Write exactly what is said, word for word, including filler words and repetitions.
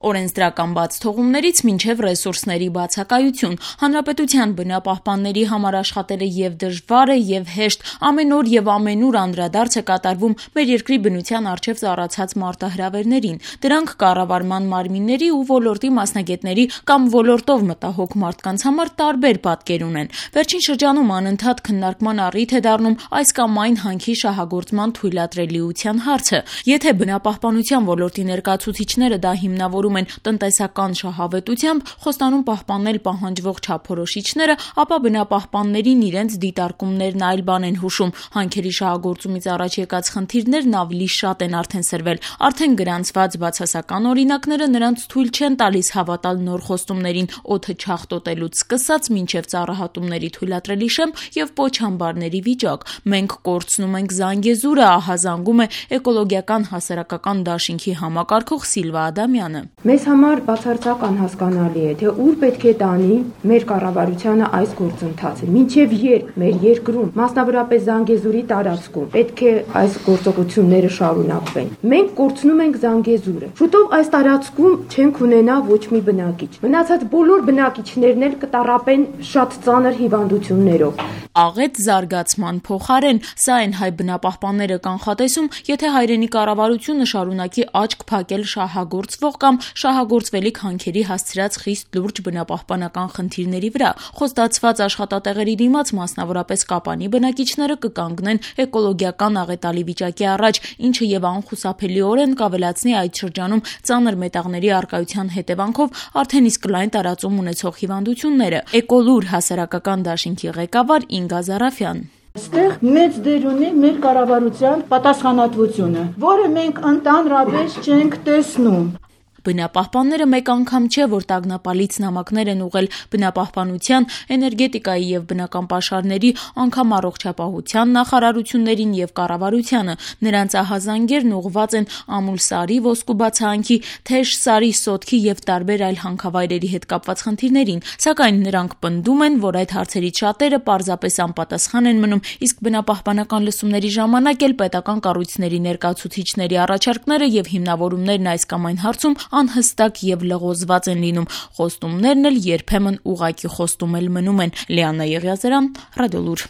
Օրենսդրական բաց թողումներից մինչև ռեսուրսների բացակայություն, հանրապետության բնապահպանների համար աշխատելը և դժվար է, և հեշտ, ամեն օր և ամենուր անդրադարձ է կատարվում մեր երկրի բնության առջև ծառացած մարտահրավերներին, դրանք կառավարման մարմինների ու ոլորտի մասնագետների կամ ոլորտով մտահոգ մարդկանց համար տարբեր պատկեր ունեն։ Վերջին շրջանում անընդհատ քննարկման առիթ է դառնում այս կամ այն հանքի շահագործման թույլատրելիության հարցը։ Եթե բնապահպանության ոլորտի ներկայացուցիչները դա հիմնավորում են տնտեսական շահավետությամբ, խոստանում պահպանել պահանջվող չափորոշիչները, ապա բնապահպաններին իրենց դիտարկումներն այլ բան են հուշում։ Հանքերի շահագործումից առաջ եկած խնդիրներն ավելի շատ են արդեն սրվել։ Արդեն գրանցված բացասական օրինակները նրանց թույլ չեն տալիս հավատալ նոր խոստումներին՝ օդը չաղտոտելուց սկսած մինչև ծառահատումների թույլատրելի շեմ և պոչամբարների վիճակ։ Մենք կորցնում ենք Զանգեզուրը, ահազանգում է էկոլոգիական հասարակական դաշինքի համակարգող Սիլվա Ադամյանը։ Մեզ համար բացարձակ անհասկանալի է, թե ուր պետք է տանի մեր կառավարությանը այս գործընթացը, մինչև երբ մեր երկրում, մասնավորապես Զանգեզուրի տարածքում, պետք է այս գործողությունները շարունակվեն։ Մենք կորցնում ենք Զանգեզուրը։ Շուտով այս տարածքում չենք ունենա ոչ մի բնակիչ։ Մնացած բոլոր բնակիչներն էլ կտառապեն շատ ծանր հիվանդություններով։ Աղետ զարգացման փոխարեն, սա են հայ բնապահպանները կանխատեսում, եթե հայրենի կառավարությունը շարունակի աչք փակել շահագործվող կամ շահագործվելիք հանքերի հասցրած խիստ լուրջ բնապահպանական խնդիրների վրա։ Խոստացված աշխատատեղերի դիմաց, մասնավորապես Կապանի բնակիչները կկանգնեն էկոլոգիական աղետալի վիճակի առաջ, ինչը և անխուսափելիորեն կավելացնի այդ շրջանում ծանր մետաղների առկայության հետևանքով արդեն իսկ լայն տարածում ունեցող հիվանդությունները։ Էկոլուր հասարակական դաշինքի ղեկավար Ինգա Զարաֆյան։ Այստեղ մեծ դեր ունի մեր կառավարության պատասխանատվությունը, որը մենք ընդհանրապես չենք տեսնում։ Բնապահպանները մեկ անգամ չէ, որ տագնապալից նամակներ են ուղղել բնապահպանության, էներգետիկայի և բնական պաշարների, անգամ առողջապահության նախարարություններին և կառավարությանը։ Նրանց ահազանգերն ուղղված են Ամուլսարի ոսկու բացահանքի, Թեժ-Սարի սոտքի և տարբեր այլ հանքավայրերի հետ կապված խնդիրներին, սակայն նրանք պնդում են, որ այդ հարցերից շատերը պարզապես անպատասխան են մնում, իսկ բնապահպանական լսումների ժամանակ էլ պետական կառույցների ներկայացուցիչների առաջարկները և հիմնավորումներն այս կամ այն հարցում անհստակ և լղոզված են լինում։ Խոստումներն էլ երբեմն ուղղակի խոստում էլ մնում են։ Լիաննա Եղիազարյան, Ռադիոլուր։